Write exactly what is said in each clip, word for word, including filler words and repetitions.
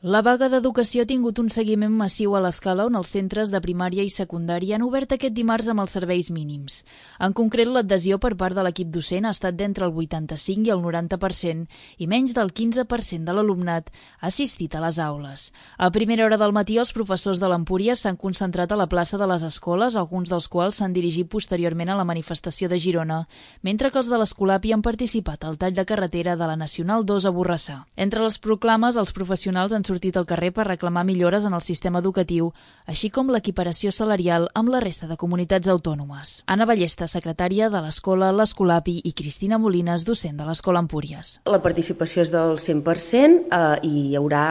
La vaga d'educació ha tingut un seguiment massiu a l'escala on els centres de primària i secundària han obert aquest dimarts amb els serveis mínims. En concret, l'adhesió per part de l'equip docent ha estat d'entre el vuitanta-cinc i el noranta per cent i menys del quinze per cent de l'alumnat ha assistit a les aules. A primera hora del matí, els professors de l'Empúries s'han concentrat a la plaça de les escoles, alguns dels quals s'han dirigit posteriorment a la manifestació de Girona, mentre que els de l'Escolapi han participat al tall de carretera de la Nacional dos a Borrassà. Entre les proclames, els professionals han sortit al carrer per reclamar millores en el sistema educatiu, així com l'equiparació salarial amb la resta de comunitats autònomes. Anna Ballesta, secretària de l'Escola l'Escolapi, i Cristina Molines, docent de l'Escola Empúries. La participació és del cent per cent eh, i hi haurà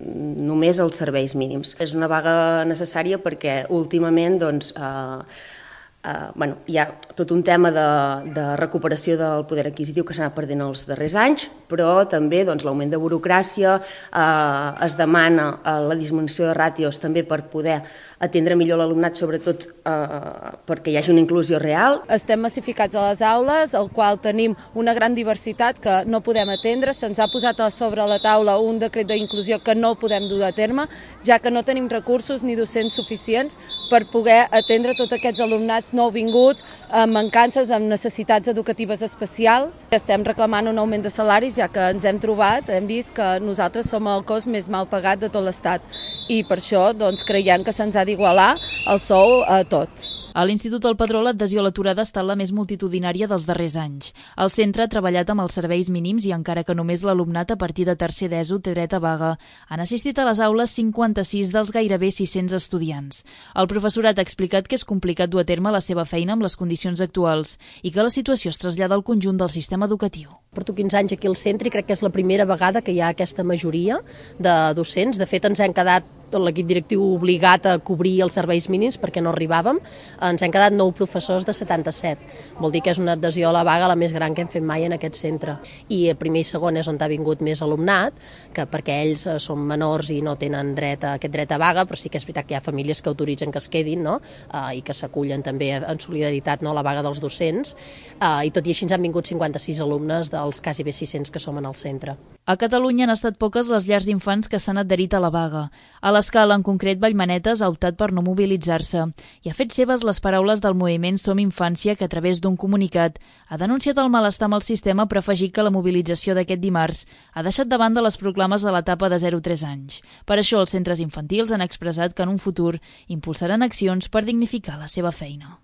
només els serveis mínims. És una vaga necessària perquè últimament doncs, eh, Uh, bueno, hi ha tot un tema de, de recuperació del poder adquisitiu que s'ha anat perdent els darrers anys, però també doncs, l'augment de burocràcia, uh, es demana uh, la disminució de ràtios també per poder atendre millor l'alumnat, sobretot uh, perquè hi hagi una inclusió real. Estem massificats a les aules, al qual tenim una gran diversitat que no podem atendre. Se'ns ha posat a sobre la taula un decret d'inclusió que no podem dur a terme, ja que no tenim recursos ni docents suficients per poder atendre tots aquests alumnats nouvinguts, amb mancances, amb necessitats educatives especials. Estem reclamant un augment de salaris, ja que ens hem trobat, hem vist que nosaltres som el cos més mal pagat de tot l'Estat i per això doncs, creiem que se'ns ha d'igualar el sou a tots. A l'Institut del Padró, l'adhesió a l'aturada ha estat la més multitudinària dels darrers anys. El centre ha treballat amb els serveis mínims i encara que només l'alumnat a partir de tercer d'ESO té dret a vaga, han assistit a les aules cinquanta-sis dels gairebé sis-cents estudiants. El professorat ha explicat que és complicat dur a terme la seva feina amb les condicions actuals i que la situació es trasllada al conjunt del sistema educatiu. Porto quinze anys aquí al centre i crec que és la primera vegada que hi ha aquesta majoria de docents. De fet, ens hem quedat tot l'equip directiu obligat a cobrir els serveis mínims perquè no arribàvem. Ens han quedat nou professors de setanta-set. Vol dir que és una adhesió a la vaga la més gran que hem fet mai en aquest centre. I a primer i segon és on ha vingut més alumnat, que perquè ells són menors i no tenen dret a aquest dret a vaga, però sí que és veritat que hi ha famílies que autoritzen que es quedin, no? uh, i que s'acullen també en solidaritat, no, a la vaga dels docents. Uh, I tot i així ens han vingut cinquanta-sis alumnes dels quasi bé sis-cents que som en el centre. A Catalunya han estat poques les llars d'infants que s'han adherit a la vaga. A l'Escala, en concret, Vallmanetes ha optat per no mobilitzar-se i ha fet seves les paraules del moviment Som Infància, que a través d'un comunicat ha denunciat el malestar amb el sistema, però ha afegit que la mobilització d'aquest dimarts ha deixat de banda les proclames de l'etapa de zero a tres anys. Per això, els centres infantils han expressat que en un futur impulsaran accions per dignificar la seva feina.